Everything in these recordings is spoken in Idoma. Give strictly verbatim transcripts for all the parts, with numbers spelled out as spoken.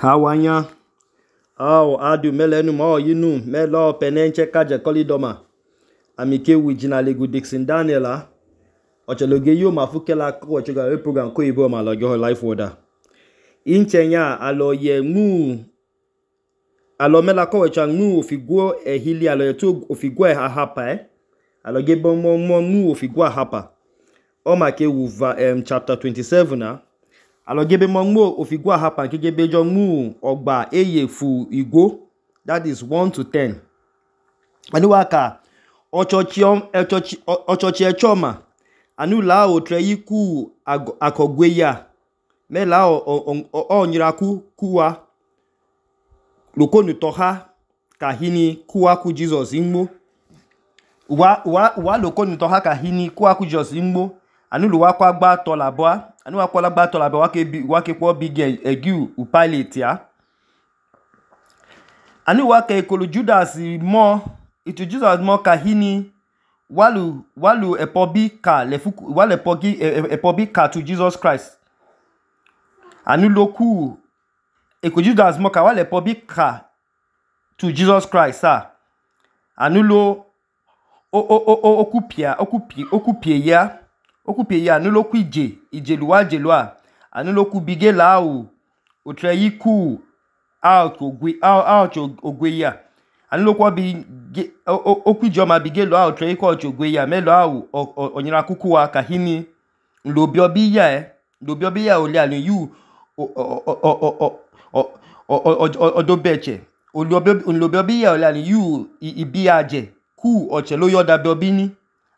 Hawanya ao adu melenu mo yinu melo penenche kaje kolidoma amike wijina legu Dixon Daniel a ocheloge yo mafukela ko chega program ko ibo ma loge life order inchenya alo ye mu alo mela ko wecha mu ofiguo ehili alo yetu ofiguo ahapa eh alo ge bomo mo mu ofiguo ahapa o ma ke wuva um, chapter twenty-seven na alo gebe mo mo ofiguo ahapa ke gebe jo mu ogba eyefu igwo, that is one to ten. Anu waka ochochiom echochi ochochi echoma anu la o treyiku akogweya me la o onyiraku kuwa lokonu toha kahini kuwa ku Jesus inmo wa wa wa lokonu toha kahini kuwa ku Jesus inmo anu lu wa kwa gba to labo anu wa kwa la gba to labo wa ke wa ke po big egu u pilot ya anu wa ke kolu Judas mo itu Jesus mo kahini walu walu epobi ka lefuku wale epogi epobi ka to Jesus Christ anu loku eko Judas mo ka wale epobi ka to Jesus Christ ah anu lo o o o okupia okupi okupie ya okupie ya anu loku ije ije luwa je luwa anu loku bige la o otreyiku out ogwe out ogwe ya anu loku bi okuje ma bige lo out treyiku ogwe ya me lo awu onyira kuku wa kahini lobi obi ya eh lobi obi ya ole anu yu odobeche lobi obi ya ole anu yu ibi aje ku oche lo yoda be obi ni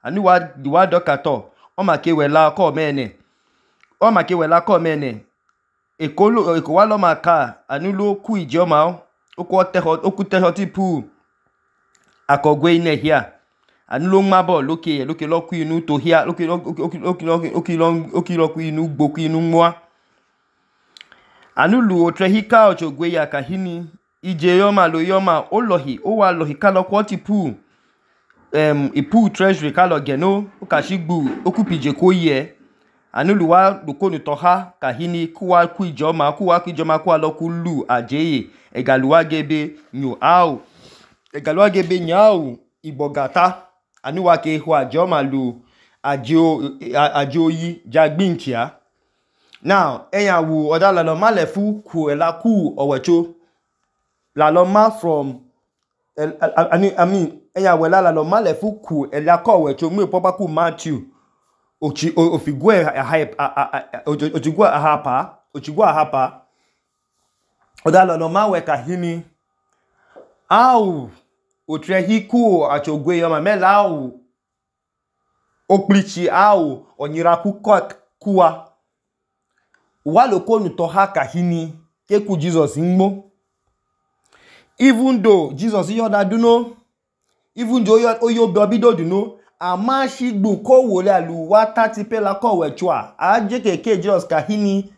anu wa di wa dokato o ma ke wela ko mene o ma ke wela ko mene eko lo eko wa lo ma ka anu lo ku ije o ma o ko teho o ku teho tipu akogwe ine hia anu lo mabo loke loke lo ku inu to hia loke loke loke loke loke lo ku inu gbo ku inu mwa anu lu otrehika ochogwe ya kahini ije yo ma lo yo ma o lohi o wa lohi ka lo ko tipu um ipu treasury ka lo geno o ka shigbu o ku pije ko ye anu lu wa lokonu toha kahini kuwa ku ijoma kuwa ku ijoma ku alo ku lu ajeye egaluwa gebe nyu au egaluwa gebe nyau ibogata anu wa ke hu ajoma lu ajo ajoyi jagbinchia now eyan wu odala lo malefu ku ela ku owecho la lo ma from I mean eyan wela la lo malefu ku ela ko owecho mu popa ku Matthew ochi ofigwe hype ochigwa ahapa ochigwa ahapa odala lo ma we kahini au otrehiku achogwe yo ma mela au oplichi au onyiraku kuwa wa lokonu toha kahini keku Jesus nmo even though Jesus yoda duno even though oyo bido duno ama shigbu ko wole alu wa thirty pela ko wechwa aje keke Jesus kahini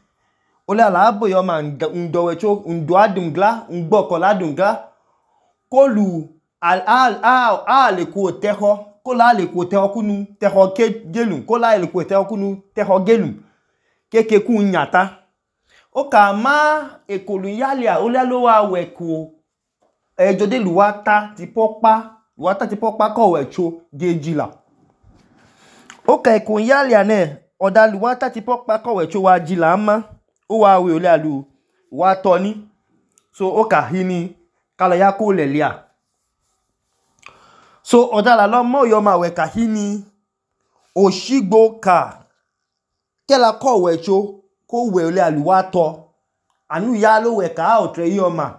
ole ala abo yo ma ndo wecho ndo adungla ngbo ko ladungla ko lu al al al al ko teho ko la le ko teho kunu teho ke gelun ko la le ko teho kunu teho gelun keke ku nyata o ka ma ekolu yalia ole lo wa weko ejode luwata ti popa luwata ti popa ko wecho gejila o ka ekon yalia ne oda luwata ti popa ko wecho wa jila ma o wa we ole alu wa toni so o ka hini kala ya ko lelia so oda la lo mo yo ma we ka hini oshigbo ka kela ko wecho ko we ole alu wa to anu ya lo we ka o tre yo ma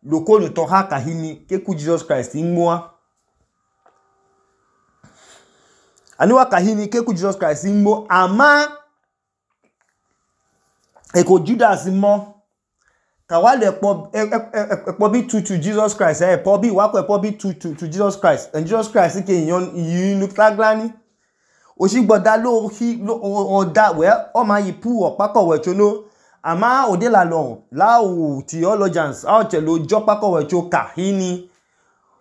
lokonu toha kahini keku Jesus Christ inmoa anu wa kahini keku Jesus Christ inmo ama eko Judas mo ka wale po epo bi to to Jesus Christ eh po bi wa ko epo bi to to to Jesus Christ and Jesus Christ ke yan yinu taglani osigboda lo hi o da we o ma yipu opa ko wecho no ama ode la lo la o theologians a che lo jopa ko wecho kahini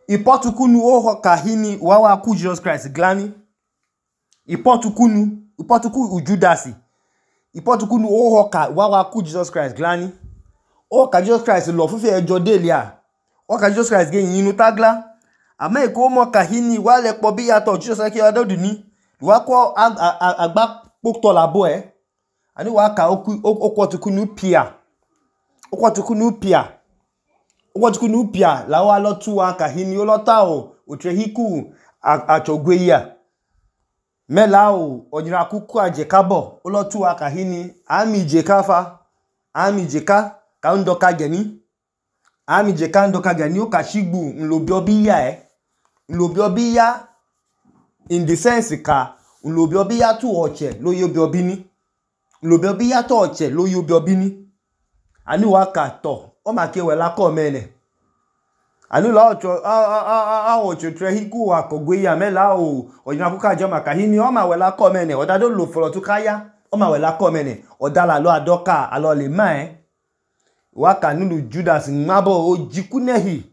ipotukunu o kahini wa wa ku Jesus Christ glani ipotukunu ipotuku Judasi ipotukunu o ka wa wa ku Jesus Christ glani o ka Jesus Christ lo fufi ejo delia o ka Jesus Christ ge yin nu tagla ama eko mo kahini wa le po bi yato Jesus ki ododu ni wa ko agba pokto labo e ani wa ka oku okwotuku nu pia okwotuku nu pia okwotuku nu pia la wa lo tu wa kahini o lo ta o otrehiku achogwe ya mela o onyira kuku aje kabo o lo tu wa kahini ami je kafa ami je ka ka ndo ka geni ami je ka ndo ka geni o ka shigbu nlobi obi ya e nlobi obi ya in the sense ka nlobi obi ya tu oche lo yobi obi ni nlobi obi ya to oche lo yobi obi ni ani wa ka to o ma ke we la ko mene ani la ocho a a a ocho trehiku akogwe ya mela o onyira kuku aje ma kahini o ma we la ko mene o da do lo foro tu kaya o ma we la ko mene o da la lo adoka alo le ma e wa ka nunu Judas ngabo o jikunehi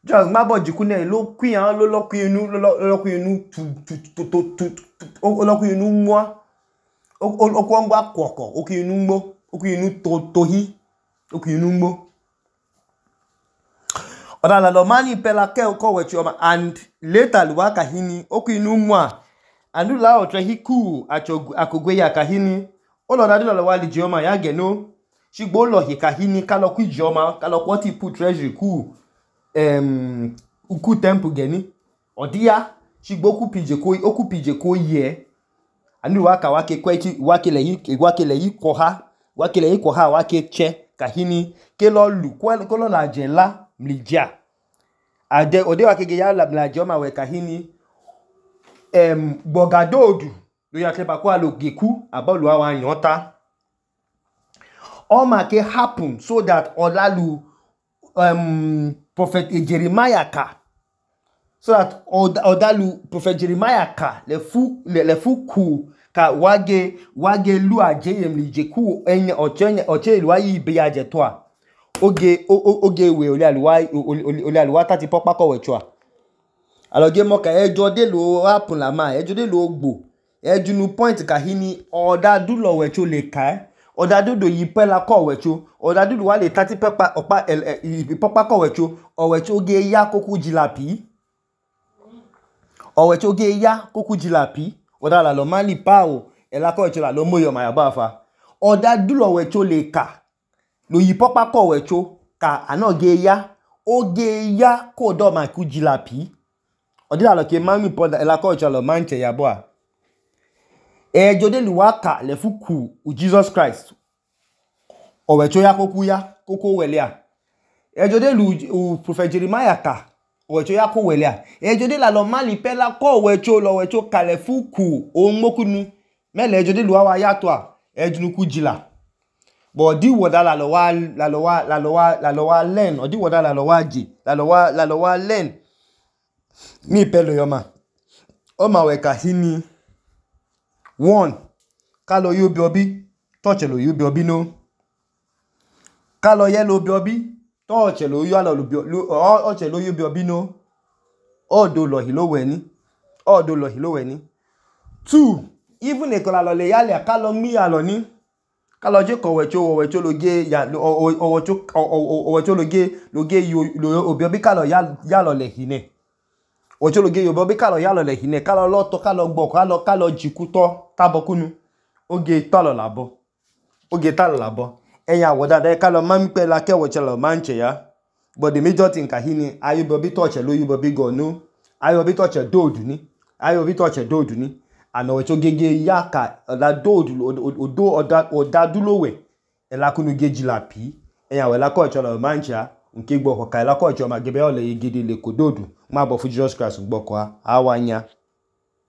Judas ngabo jikunehi lo kwian lo lo kwinu lo lo kwinu tu tu tu tu o lo kwinu mwa o ko ngba kwoko o kwinu mmo o kwinu to tohi o kwinu mmo o da la lo mani pela ke ko we chioma and later luwa kahini o kwinu mwa andu la o trehiku akogwe ya kahini o lo da do lo wa li chioma ya geno shigbo lo hi kahini kalo ku ijeoma kalo ko ti put treasury ku em uku temple geni odia shigbo ku pije ko oku pije ko ye ani wa ka wa ke kwechi wa ke le yi wa ke le yi ko ha wa ke le yi ko ha wa ke che kahini ke lo lu ko lo la je la mlija ade ode wa ke ge ya la mlija ma we kahini em bogadodu lo ya klepa ko alo geku abolu awa yota all ma ke happen so that olalu um prophet Jeremiah ka so that odalu prophet Jeremiah ka le fu le, le fu ku ka wage wage lu aje yemlije ku enye oche oche lu ayi be aje to a oge oge we ole aluwa ole aluwa tati popa ko we chua aloge mo ka ejo de lo happen la ma ejo de lo gbo eju nu point kahini oda du lo we cho le ka odadudu yi pela ko wecho odadudu wa le thirty pepa opa popa ko wecho owecho ge ya koku jilapi owecho ge ya koku jilapi odala lo mali pa o ela ko wecho la lo moyo ma ya ba fa odadudu wecho le ka lo yi popa ko wecho ka ana ge ya o ge ya ko do ma ku jilapi odila lo ke mami po ela ko wecho lo manche ya bo a ejo de luwaka le fuku u Jesus Christ owecho ya koku ya koko welia ejo de lu u prophet Jeremiah ka owecho ya ko welia ejo de la lo mali pela ko wecho lo wecho ka le fuku o mokunu mele ejo de luwa ya to a ejunu ku jila but di woda la lo wa la lo wa la lo wa la lo wa learn odi woda la lo wa ji la lo wa la lo wa learn mi pelo yoma o ma we ka hini one kalo yobi obi touch lo yobi obi no kalo ye lo bi obi touch lo yo alo lo o che lo yobi obi no odo lo hi lo we ni odo lo hi lo we ni two even e kola lo le yale kalo mi alo ni kalo je ko wecho wecho lo ge ya o wecho o wecho lo ge lo ge yo obi obi kalo ya ya lo le hi ne ocho lo ge yo bobi kalo ya lo le hine kalo lo to kalo gbo kalo kalo jikuto tabokunu oge talo labo oge talo labo eya woda de kalo mami pe la ke woche lo manche ya but the major thing kahini ayo bobi touch lo yu bobi go no ayo bobi touch dodu ni ayo bobi touch dodu ni ana wecho gege ya ka la dodu odo oda oda dulowe ela kunu geji la pi eya we la ko cho lo manche ya nke gbo ko ka la ko cho ma gebe ole yigidi le kododu ma bo fu Jesus Christ gbo ko awanya